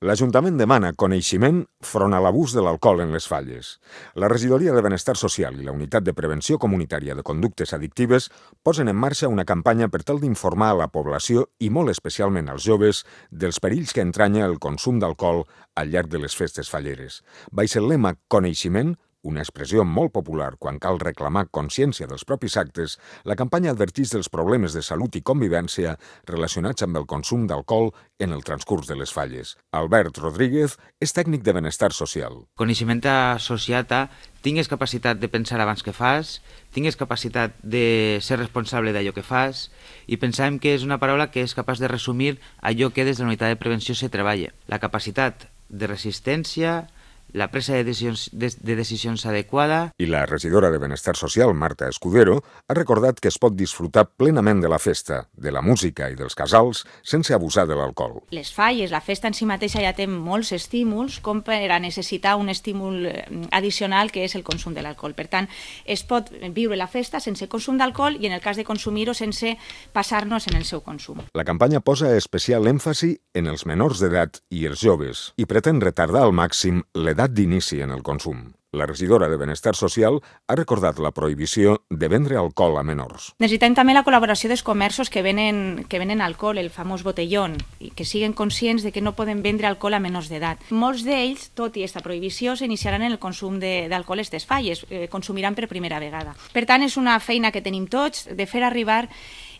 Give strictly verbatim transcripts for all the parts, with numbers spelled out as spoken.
L'Ajuntament demana coneixement front a l'abús de l'alcohol en les falles. La Regidoria de Benestar Social i la Unitat de Prevenció Comunitària de Conductes Addictives posen en marxa una campanya per tal d'informar a la població i molt especialment als joves dels perills que entranya el consum d'alcohol al llarg de les festes falleres. Baix el lema Coneixement, una expressió molt popular quan cal reclamar consciència dels propis actes, la campanya adverteix dels problemes de salut i convivència relacionats amb el consum d'alcohol en el transcurs de les falles. Albert Rodríguez és tècnic de benestar social. Coneixement associat a tingues capacitat de pensar abans que fas, tingues capacitat de ser responsable d'allò que fas, i pensàvem que és una paraula que és capaç de resumir allò que des de la unitat de prevenció se treballa. La capacitat de resistència, la presa de decisions, de, de decisions adequada. I la regidora de Benestar Social, Marta Escudero, ha recordat que es pot disfrutar plenament de la festa, de la música i dels casals sense abusar de l'alcohol. Les falles, la festa en si mateixa ja té molts estímuls com per a necessitar un estímul addicional que és el consum de l'alcohol. Per tant, es pot viure la festa sense consum d'alcohol i en el cas de consumir-ho sense passar-nos en el seu consum. La campanya posa especial èmfasi en els menors d'edat i els joves i pretén retardar al màxim l'edat d'inici en el consum. La regidora de Benestar Social ha recordat la prohibició de vendre alcohol a menors. Necessitem també la col·laboració dels comerços que venen, que venen alcohol, el famós botellón, i que siguin conscients de que no poden vendre alcohol a menors d'edat. Molts d'ells, tot i aquesta prohibició, s'iniciaran en el consum d'alcohol a aquestes falles, eh, consumiran per primera vegada. Per tant, és una feina que tenim tots de fer arribar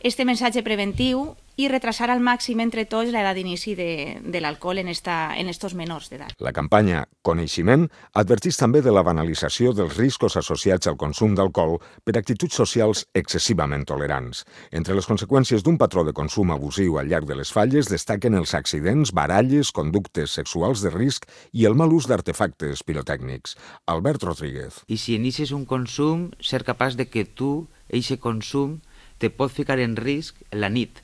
este missatge preventiu i retrasar al màxim entre tots l'edat d'inici de, de l'alcohol en, esta, en estos menors d'edat. La campanya Coneixement adverteix també de la banalització dels riscos associats al consum d'alcohol per actituds socials excessivament tolerants. Entre les conseqüències d'un patró de consum abusiu al llarg de les falles destaquen els accidents, baralles, conductes sexuals de risc i el mal ús d'artefactes pirotècnics. Albert Rodríguez. I si inicies un consum, ser capaç de que tu, eixe consum, te pot ficar en risc la nit.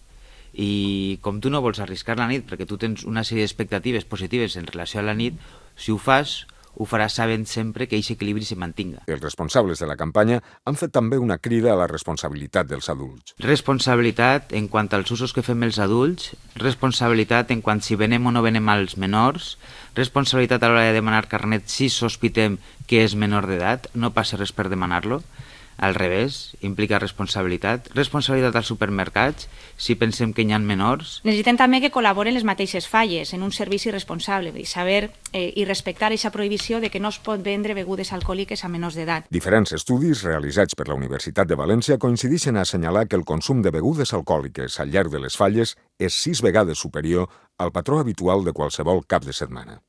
I com tu no vols arriscar la nit perquè tu tens una sèrie d'expectatives positives en relació a la nit, si ho fas, ho faràs sabent sempre que aquest equilibri se mantinga. Els responsables de la campanya han fet també una crida a la responsabilitat dels adults. Responsabilitat en quant als usos que fem els adults, responsabilitat en quant si venem o no venem als menors, responsabilitat a l'hora de demanar carnet si sospitem que és menor d'edat, no passa res per demanar-lo. Al revés, implica responsabilitat. Responsabilitat als supermercats, si pensem que hi ha menors. Necessitem també que col·laboren les mateixes falles en un servici responsable i saber eh, i respectar aquesta prohibició de que no es pot vendre begudes alcohòliques a menors d'edat. Diferents estudis realitzats per la Universitat de València coincideixen a assenyalar que el consum de begudes alcohòliques al llarg de les falles és sis vegades superior al patró habitual de qualsevol cap de setmana.